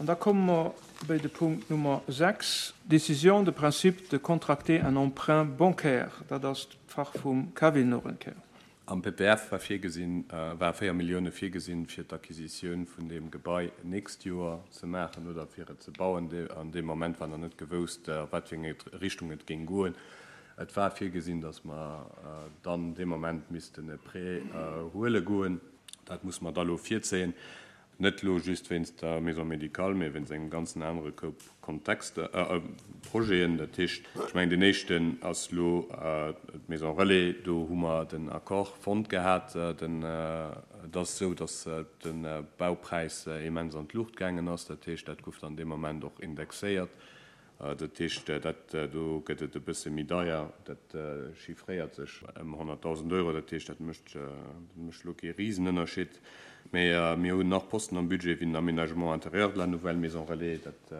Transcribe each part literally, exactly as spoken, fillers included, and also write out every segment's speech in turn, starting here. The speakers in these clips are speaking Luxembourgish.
An da komme mer bei de Punkt Nummer sechs, Décision de principe de contracter un emprunt bancaire. Dat ass d'Fach vum Kevin nach eng Kéier. Am P P F war virgesinn, war véier Millioune virgesinn, fir d'Acquisitioun vun deem Gebai nächst Joer ze maachen oder fir et ze bauen. An deem Moment war nach net gewousst, a wat fir eng Richtung et géing goen. Et war virgesinn, datt mer dann dee Moment missten e Prêt huele goen. Dat muss mer da lo virzéien. Net lo just wéinst der Maison médicale, mee wéinst engem ganzen anere Koup Kontexter, Projeten. Dat heescht, ech mengen, deen éischten ass lo d'Maison Relais. Do hu mer den Accord fonnt gehat. Den, et ass esou, datt de Baupräis immens an d'Luucht gaangen ass. Dat heescht, dat gouf dann dee Moment och indexéiert. Dat heescht, dat do gëtt et e bësse méi deier. Dat chiffréiert sech ëm honnertdausend Euro. Dat heescht, dat mécht, dat mécht elo kee Risenënnerscheed. Mee mir hunn nach Posten am Budget wéi den Aménagement intérieur de la nouvelle Maison Relais. Dat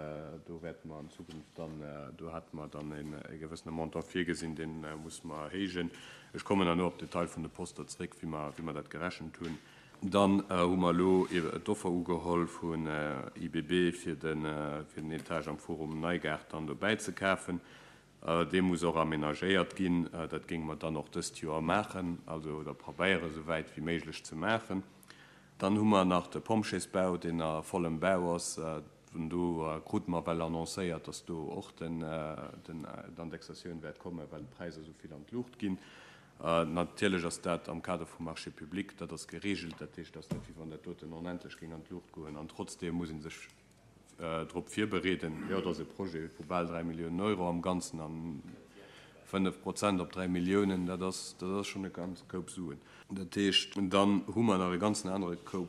do wäerte mer an Zukunft dann, do hate mer dann e gewëssene Montant virgesinn, dee musse mer erhéijen. Ech kommen dann elo op d'Detail vun de Poster zréck, wéi mer, wéi mer dat gerechent hunn. Dann hu mer elo d'Offer ugeholl vun I B B fir den, fir den Etage am Forum Neigaart dann dobäi ze kafen. Dee muss och amenagéiert ginn. Dat géinge mer dann och dëst Joer maachen, also oder probéiere sou wäit wéi méiglech ze maachen. Dann hu mer nach de Pompjeesbau, deen a vollem Bau ass. Vun do krute mer well annoncéiert, datt do och den, den, d'Indexatioun wäert kommen, well d'Präisser esou vill an d'Luucht ginn. Natierlech ass dat am Kader vum Marché public, dat ass geregelt, dat heescht, dat ass net, wéi wann dat doten onendlech géing an d'Luucht goen. An trotzdeem muss ee sech drop virbereeden. Jo, dat ass e Projet vu bal dräi Milliounen Euro am Ganzen an fënnef Prozent op dräi Milliounen, dat ass, dat ass schonn e ganze Koup Suen. Dat heescht, dann hu mer nach e ganzen anere Koup,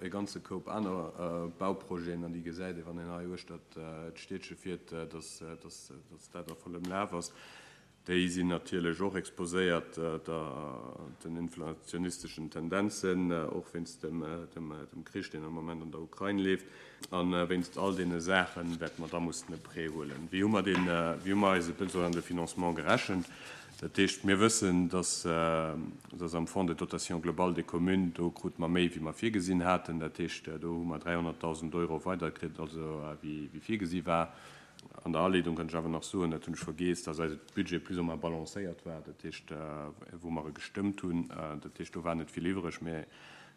e ganze Koup aner Bauprojeten, an déi gesäit ee, wann een hei uechter d'Stiedche fiert, dass, dass, dass dat a vollem Laf ass. Déi sinn natierlech och exposéiert den inflationisteschen Tendenzen, och wéinst dem Krich, deen am Moment an der Ukrain leeft. A wéinst all deene Saache wäerte mer da mussen e Prêt huelen. Wéi hu mer deen, wéi hu mer eise Besoin de financement gerechent? Dat heescht, mir wëssen, dass, dass am Fonds de dotation globale des communes, do krute mer méi, wéi mer virgesinn haten. Dat heescht, do hu mer dräihonnertdausend Euro weiderkritt, also wéi, wéi virgesi war. An der Aleedung kann ech awer nach soen, dat hunn ech vergiess, dass eise Budget plus ou moins balancéiert war, dat heescht, wou mer e gestëmmt hunn, dat heescht, do war net vill iwwreg, mä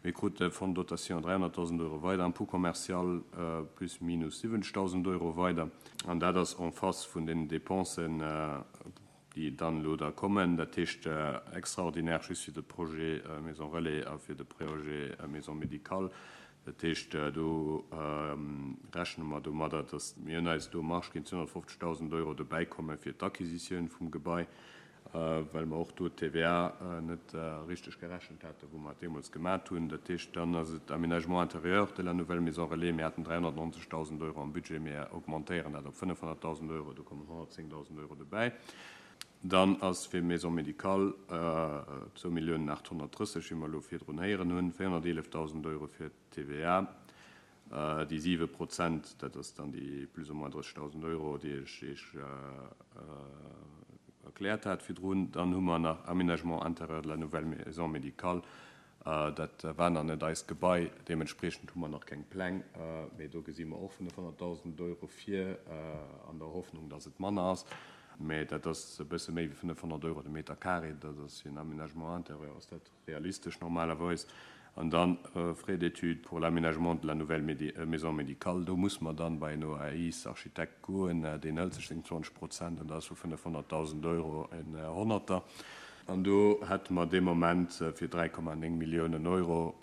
mir krute Fonds de dotation dräihonnertdausend Euro weider, am Impôt commercial plus minus siwwenzegdausend Euro weider. An dat ass en face vun den Dépensen, déi dann elo da kommen, dat heescht extraordinaire just fir de Projet Maison Relais a fir de Projet Maison médicale. Dat heescht, do rechne mer domadder, datt mir hunn eis do Marge ginn, zweehonnertfofzegdausend Euro dobäikomme fir d'Acquisitioun vum Gebai, well mer och do d'T V A net richteg gerechent haten, wou mer et deemools gemat hunn. Dat heescht, dann ass et Aménagement intérieur de la nouvelle Maison Relais. Mir haten dräihonnertnonzegdausend Euro am Budget, mir augmentéieren dat op fënnefhonnertdausend Euro, do kommen honnertzéngdausend Euro dobäi. Dann ass fir Maison médicale zwou Milliounen aathonnertdrësseg, wéi mer elo virdrun héieren hunn, véierhonnerteelefdausend Euro fir d'T V A, déi siwe Prozent, dat ass dann déi plus ou moins drëssegdausend Euro, déi ech Iech erkläert hat virdrun. Dann hu mer nach Aménagement intérieur de la nouvelle Maison médicale. Dat war nach net eist Gebai, deementspriechend hu mer nach keng Pläng, mee do gesi mer och fënnefhonnertdausend Euro vir, an der Hoffnung, dass et manner ass. Mee dat ass e bësse méi wéi fënnefhonnert Euro de Meter carré, dat ass fir en Aménagement intérieur ass dat realistesch normalerweis. An dann Frais d'études pour l'aménagement de la nouvelle Maison médicale, do muss mer dann bei en O A I S-Architekt goen, deen hëlt sech seng zwanzeg Prozent an dat ass vu fënnefhonnertdausend Euro en Honnerter. An do hätte mer dee Moment fir dräi Komma néng Milliounen Euro,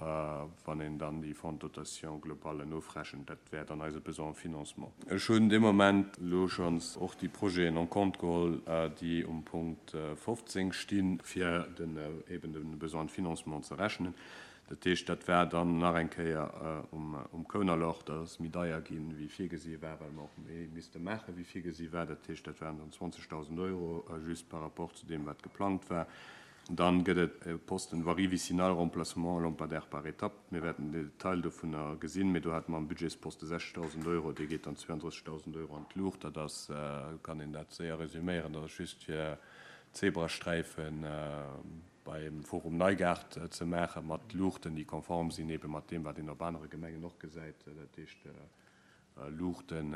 wann een dann déi Fonds de dotation globale ofrechent, dat wär dann eise Besoin en financement. Ech hunn dee Moment elo schonns och déi Projeten en compte geholl, déi um Punkt fofzéng stinn, fir den eben de Besoin de financement ze rechnen. Dat heescht, dat war dann nach eng Kéier um um Kounerloch, dat ass méi deier ginn, wéi virgesi war, well mer och méi misste maachen, wéi virgesi war. Dat heescht, dat waren dann zwanzegdausend Euro just par rapport zu deem, wat geplangt war. Dann gëtt et e Posten Voirie vicinale, remplacement lampadaire par étape. Mir wäerten den Detail dovunner gesinn, mee do hate mer am Budgetsposte sechstausend Euro, dee geet dann zwouandrëssegdausend Euro an d'Luucht. Dat ass, kann een dat séier resüméieren, dat ass just fir Zebrasträifen beim Forum Neigaart ze maachen, mat Luuchten, déi konform sinn ebe mat deem, wat een op anere Gemengen och gesäit. Dat heescht, Luuchten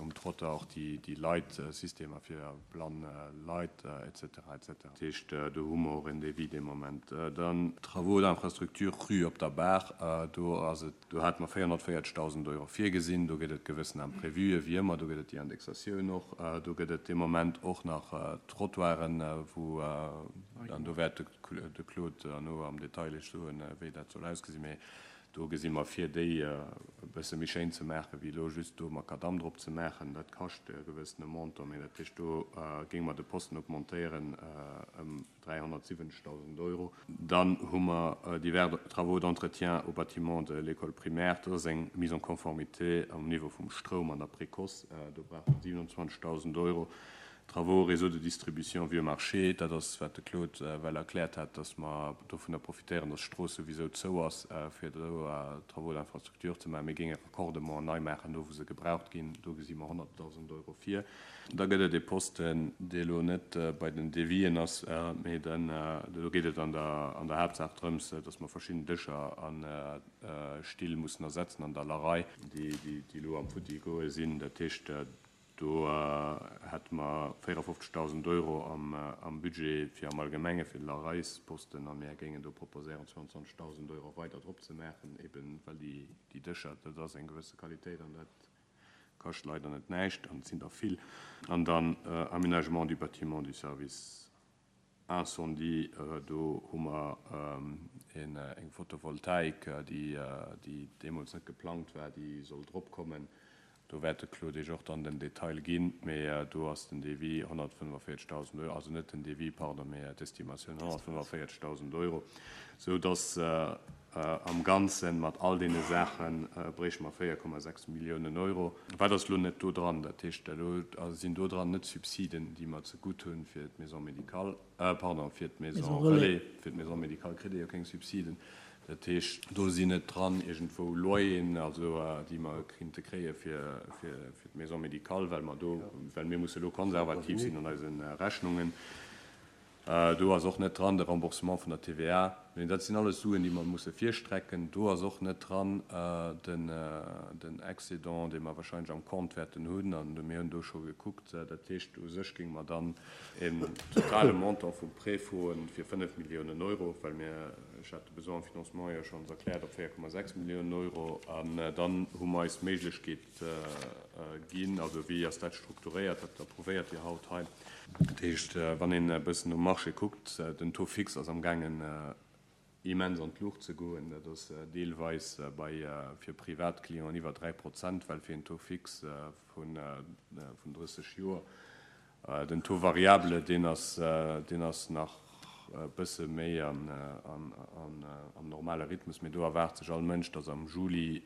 um Trottoir, och déi Leitsystemer fir blann Leit et cetera et cetera. Dat heescht, do hu mer och en Devis dee Moment. Dann Travaux d'infrastructure rue Op der Baach, do ass et, do hate mer véierhonnertvéierzegdausend Euro virgesinn. Do gëtt et gewëssen Imprévuen, wéi ëmmer, do gëtt et déi Indexatioun och. Do gëtt et dee Moment och nach Trottoiren, wou, an do wäert de Claude herno am Detail Iech soen, wéi dat soll ausgesinn, mee do gesi mer vir, déi e bësse méi schéin ze maachen, wéi elo just do Makadamm drop ze maachen. Dat kascht e gewëssene Montant, mee dat heescht, do géinge mer de Posten augmentéieren ëm dräihonnertsiwwenzegdausend Euro. Dann hu mer divers Travaux d'entretien au bâtiment de l'école primaire. Dat ass eng Mise en conformité um Niveau vum Stroum an der Précoce. Do brauche mer siewenundzwanzegdausend Euro. Travaux réseau de distribution Vieux Marché, dat ass wat de Claude well erkläert hat, dass mer dovunner profitéieren, dass d'Strooss souwisou zou ass, fir do Travaux d'infrastructure ze maachen. Mir géinge Raccordement nei maachen, do wou se gebraucht ginn. Do gesi mer honnertdausend Euro vir. Da gëtt et e Posten, dee elo net bei den Devisen ass, mee den, do geet et an der, an der Haaptsaach drëms, dass mer verschidden Dëscher a Still mussen ersetzen an der Larei, déi, déi, déi elo am Futti goe sinn. Dat heescht, do hätte mer véierefofzegdausend Euro am, am Budget fir am Allgemenge fir de Lareisposten a mir géingen do proposéieren, zwouandzwanzegdausend Euro weider drop ze maachen, eben well déi, déi Dëscher, dat ass eng gewësse Qualitéit an dat kascht leider net näischt an et sinn der vill. An dann Aménagement du bâtiment du service incendie, do hu mer eng Photovoltaik, déi, déi deemools net geplangt war, déi soll drop kommen. Do wäert de Claude Iech och dann den Detail ginn, mee do ass den Devis honnertfënnefvéierzegdausend Euro, also net den Devis, pardon, mee d'Estimatioun honnertfënnefvéierzegdausend Euro, sou dass am Ganzen mat all deene Saache bréiche mer véier Komma sechs Milliounen Euro. Wat ass elo net do dran? Dat heescht, elo sinn do dran net Subsiden, déi mer zegutt hunn fir d'Maison médicale, pardon, fir d'Maison relais, fir d'Maison médicale kritt ee jo keng Subsiden. Dat heescht, do sinn net dran iergendwou Loyeren, also déi mer kinnte kréie fir, fir, fir d'Maison médicale, well mer do, well mir musse elo konservativ sinn an eise Rechnungen. Do ass och net dran de Remboursement vun der T V A. Mee dat sinn alles Suen, déi mer musse virstrecken. Do ass och net dran den, den Excédent, dee mer wahrscheinlech am Compte wäerten hunn, an mir hunn do scho gekuckt. Dat heescht, u sech géinge mer dann en totale Montant vum Prêt froen fir fënnef Milliounen Euro, well mir, ech hat de Besoin en financement jo schonns erkläert op véier Komma sechs Milliounen Euro. An dann hu mer eis d'Méiglechkeet ginn, also wéi ass dat strukturéiert, dat approuvéiert Dir haut hei. Dat heescht, wann een e bëssen um Marché kuckt, den Taux fixe ass amgaangen immens an d'Luucht ze goen. Dat ass deelweis bei fir Privatclienten iwwer dräi Prozent, well fir en Taux fixe vun vun drësseg Joer. Den Taux variable, deen ass deen ass nach e bësse méi an an an am normale Rhythmus, mee do erwaart sech all Mënsch, dass am Juli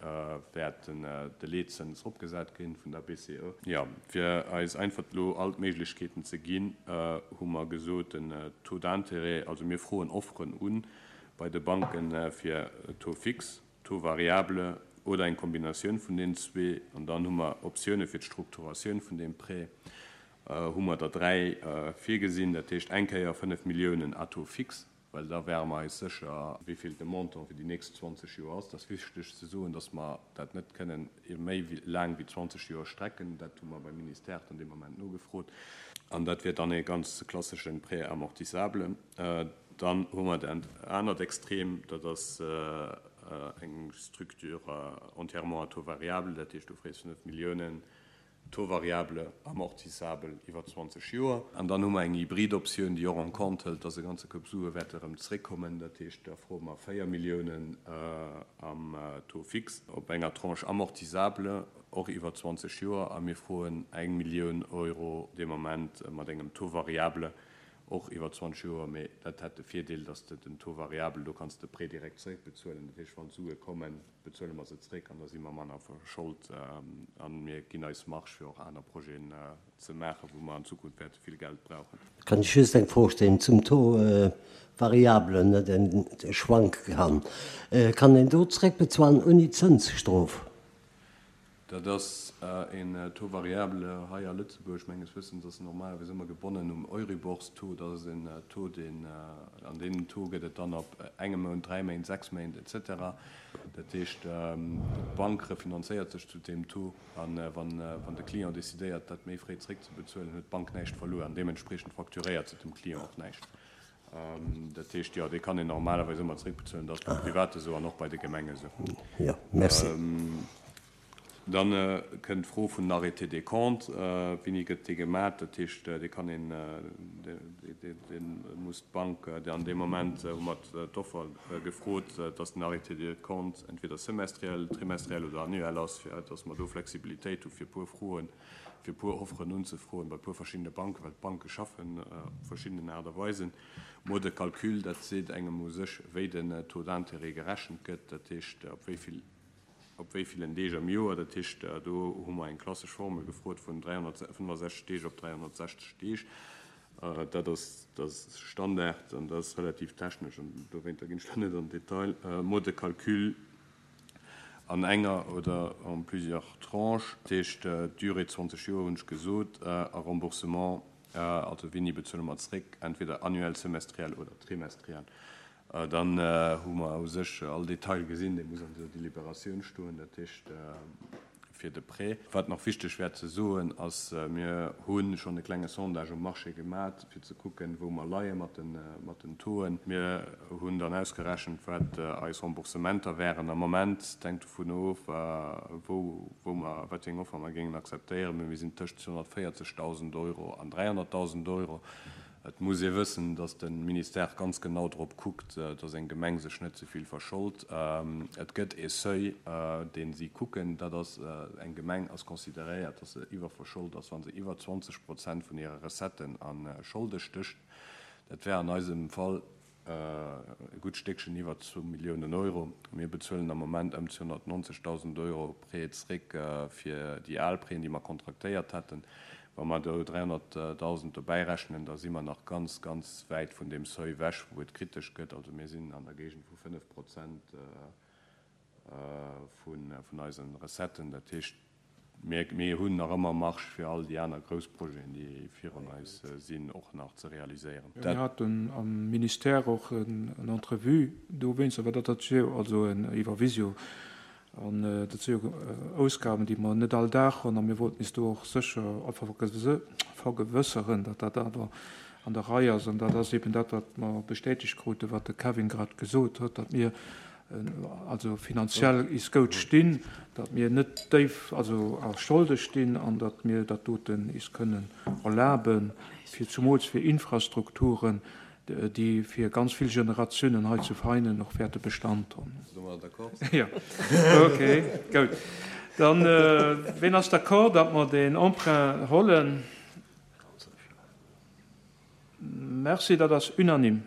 wäert den de Leetzëns eropgesat ginn vun der B C E. Jo, fir eis einfach elo all d'Méiglechkeeten ze ginn, hu mer gesot, den Taux d'intérêt, also mir froen Offeren un bei de Banken fir Taux fixe, Taux variable oder eng Kombinatioun vun deenen zwee. An dann hu mer Optioune fir d'Strukturatioun vun deem Prêt, hu mer der dräi virgesinn, dat heescht eng Kéier fënnef Milliounen à taux fixe, well da wäre mer eis sécher, wéi vill de Montant fir déi nächst zwanzeg Joer ass. Et ass wichteg ze soen, datt mer dat net kënnen méi laang wéi zwanzeg Joer strecken. Dat hu mer beim Ministère dann dee Moment nogefrot. An dat wier dann e ganz klassesche Prêt amortissable. Dann hu mer dat anert Extrem, dat ass eng Structure entièrement à taux variable, dat heescht, du frees fënnef Milliounen, Taux variable amortissabel iwwer zwanzeg Joer. An dann hu mer eng hybrid Optioun, déi och en compte hëlt, dass e ganze Koup Sue wäerte erëm zréckkommen. Dat heescht, da froe mer véier Milliounen am Taux fixe op enger Tranche amortissable och iwwer zwanzeg Joer a mir froen eng Millioun Euro dee Moment mat engem Taux variable och iwwer zwanzeg Joer. Mee dat hätt de Virdeel, dass de den Taux variable, do kanns de Prêt direkt zréckbezuelen. Dat heescht, wann d'Sue kommen, bezuele mer se zréck an da si mer manner verscholt a mir ginn eis Marge fir och aner Projeten ze maachen, wou mer an Zukunft wäerte vill Geld brauchen. Kann ech just eng Fro stellen zum Taux variable, deen schwanke kann? Kann een do zréckbezuelen ouni Zënsstrof? Dat ass een Taux variable hei a Lëtzebuerg. Menges Wëssens ass en normalerweis ëmmer gebonnen um Euribor-Taux. Dat ass en Taux, deen, an deen Taux gëtt et dann op engem Mount, dräi Méint, sechs Méint et cetera. Dat heescht, d'Bank refinanzéiert sech zu deem Taux an wann, wann de Client decidéiert, dat méi fréi zréckzebezuelen, huet d'Bank näischt verluer an deementspriechend facturéiert se dem Client och näischt. Dat heescht, jo, dee kann een normalerweis ëmmer zréckbezuelen. Dat ass beim Private esou an och bei de Gemenge esou. Jo, merci. Dann kënnt d'Fro vun den Arrêtés des comptes. Wéini gëtt dee gemat? Dat heescht, dee kann een, dee muss d'Bank an deem Moment, hu mer d'Offer gefrot, dass den Arrêté des comptes entweder semestriel, trimestriel oder annuel ass, fir dass mer do Flexibilitéit hu fir e puer Froen, fir e puer Offeren unzefroen bei e puer verschiddene Banken, well d'Banke schaffen op verschiddenen Aart a Weisen. Mode de calcul, dat seet engem u sech, wéi den Taux d'intérêt gerechent gëtt, dat heescht, op wéi vill, op wéi villen Deeg am Joer. Dat heescht, do hu mer eng klassesch Formel gefrot vun dräihonnertfënnefasechzeg Deeg op dräihonnertsechzeg Deeg. Dat ass, dat ass Standard an dat ass relativ technesch an dowéinter ginn ech do net an den Detail. Mode de calcul an enger oder en plusieurs tranches, dat heescht d'Durée zwanzeg Joer hunn ech gesot, a Remboursement, also wéini bezuele mer zréck, entweder annuel, semestriel oder trimestriel. Dann hu mer u sech all Detail gesinn, dee muss an der Deliberatioun stoen, dat heescht fir de Prêt. Wat nach wichteg wär ze soen, ass, mir hu schonn e klenge Sondage um Marché gemat, fir ze kucken, wou mer leie mat den Tauxen. Mir hunn dann ausgerechent, wat eis Remboursementer wären am Moment. Et hänkt dovun of, wou mer, wat fir eng Offer mer géingen akzeptéieren, mee mir sinn tëscht zweehonnertvéierzegdausend Euro an dräihonnertdausend Euro. Et muss ee wëssen, datt de Ministère ganz genau drop kuckt, datt eng Gemeng sech net ze vill verschold. Et gëtt ee Seuil, dee si kucken, dat ass, eng Gemeng ass consideréiert, datt se iwwerverschold ass, wa se iwwer zwanzeg Prozent vun hire Recetten a Scholde stécht. Dat wär an eisem Fall e gutt Stéckchen iwwer zwou Milliounen Euro. Mir bezuelen am Moment ëm zweehonnertneunzegdausend Euro Prêt zréck fir déi al Prêten, déi mer kontraktéiert haten. Wa mer do dräihonnertdausend dobäi rechnen, da si mer nach ganz, ganz wäit vun deem Seuil ewech, wou et kritesch gëtt. Also mir sinn an der Géigend vu fënnef Prozent vun eise Recetten. Dat heescht, mir, mir hunn nach ëmmer Marge fir all déi aner grouss Projeten, déi virun eis sinn, och nach ze realiséieren. Mir haten am Ministère och en Entrevue dowéinst, awer dat ass jo also iwwer Visio. An dat si jo Ausgaben, déi mer net all Dag hunn, a mir wollten eis do och sécher vergewësseren, datt dat awer an der Rei ass. An dat ass eben dat, wat mer bestätegt kruten, wat de Kevin grad gesot huet, datt mir also finanziell is goud stinn, datt mir net déif also a Scholde stinn an datt mir dat doten is kënnen erlaben, fir zumools fir Infrastrukturen, déi fir ganz vill Generatiounen hei zu Veinen och wäerte Bestand hunn. Ass domadder d'accord? Jo, okay, goud. Dann, ween ass d'accord, datt mer deen Emprunt hollen? Merci, dat ass unanime.